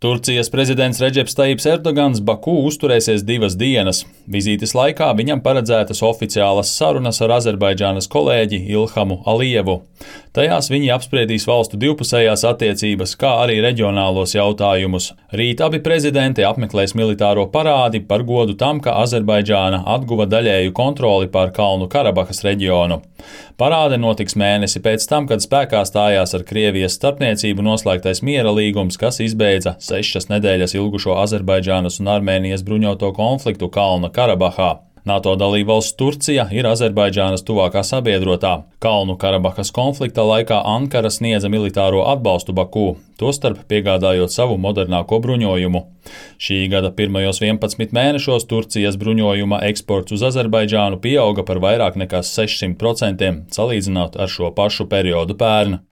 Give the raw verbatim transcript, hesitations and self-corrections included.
Turcijas prezidents Redžeps Tajips Erdogans Baku uzturēsies divas dienas. Vizītes laikā viņam paredzētas oficiālas sarunas ar Azerbaidžānas kolēģi Ilhamu Alijevu. Tajās viņi apspriedīs valstu divpusējās attiecības, kā arī reģionālos jautājumus. Rīt abi prezidenti apmeklēs militāro parādi par godu tam, ka Azerbaidžāna atguva daļēju kontroli pār Kalnu Karabahas reģionu. Parāde notiks mēnesi pēc tam, kad spēkā stājās ar Krievijas starpniecību noslēgtais miera līgums, kas izbeidza sešas nedēļas ilgušo Azerbaidžānas un Armēnijas bruņoto konfliktu Kalna Karabahā. NATO dalībvalsts Turcija ir Azerbaidžānas tuvākā sabiedrotā. Kalnu Karabahas konflikta laikā Ankara sniedza militāro atbalstu Baku, tostarp piegādājot savu modernāko bruņojumu. Šī gada pirmajos vienpadsmit mēnešos Turcijas bruņojuma eksports uz Azerbaidžānu pieauga par vairāk nekā sešsimt procentiem, salīdzinot ar šo pašu periodu pērn.